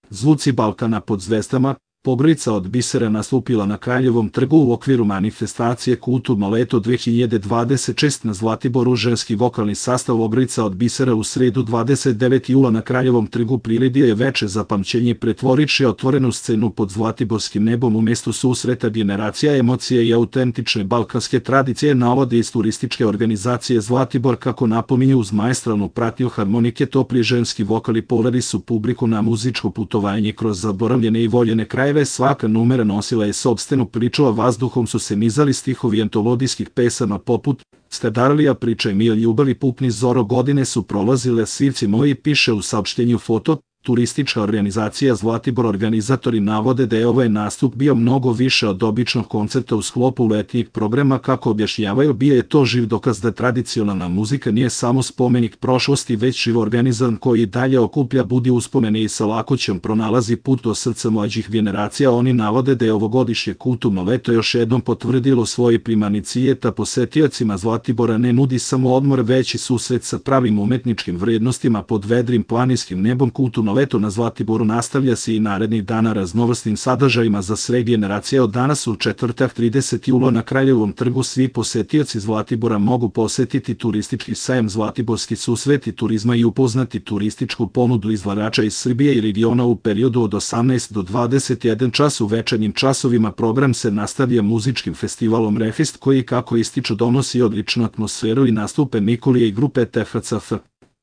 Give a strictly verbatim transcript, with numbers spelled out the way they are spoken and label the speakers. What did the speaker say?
Speaker 1: Zvuci Balkana pod zvezdama, Pogrlica od bisera nastupila na Kraljevom trgu u okviru manifestacije Kulturno leto dve hiljade dvadeset šeste na Zlatiboru. Ženski vokalni sastav Pogrlica od bisera u sredu dvadeset devetog jula na Kraljevom trgu priredio je veče za pamćenje pretvorivši otvorenu scenu pod zlatiborskim nebom u mestu susreta generacija emocije i autentične balkanske tradicije, navode iz turističke organizacije Zlatibor. Kako napominju, uz maestralnu pratnju harmonike topli ženski vokali poveli su publiku na muzičko putovanje kroz zaboravljene i voljene krajeve. Svaka numera nosila je sopstvenu priču, a vazduhom su se nizali stihovi antologijskih pesama poput Stedarlija priča mi o ljubavi, pupni zoro, godine su prolazile, svivci moji, piše u saopštenju foto. Turistička organizacija Zlatibor organizatori navode da je ovaj nastup bio mnogo više od običnog koncerta u sklopu letnjih programa. Kako objašnjavaju, bio je to živ dokaz da tradicionalna muzika nije samo spomenik prošlosti, već živ organizam koji dalje okuplja, budi uspomene i sa lakoćom pronalazi put do srca mlađih generacija. Oni navode da je ovogodišnje kulturno leto još jednom potvrdilo svoje primarni cilj, da posetiocima Zlatibora ne nudi samo odmor, već i susret sa pravim umetničkim vrednostima pod vedrim planinskim nebom. Kulturno leto na Zlatiboru nastavlja se i narednih dana raznovrsnim sadržajima za sve generacije. Od danas u četvrtak tridesetog jula na Kraljevom trgu svi posetioci Zlatibora mogu posetiti turistički sajam Zlatiborski susreti turizma i upoznati turističku ponudu izlagača iz Srbije i regiona u periodu od osamnaest do dvadeset jedan čas. U večernjim časovima program se nastavlja muzičkim festivalom Refest koji, kako ističu, donosi odličnu atmosferu i nastupe Mikolije i grupe T F C F.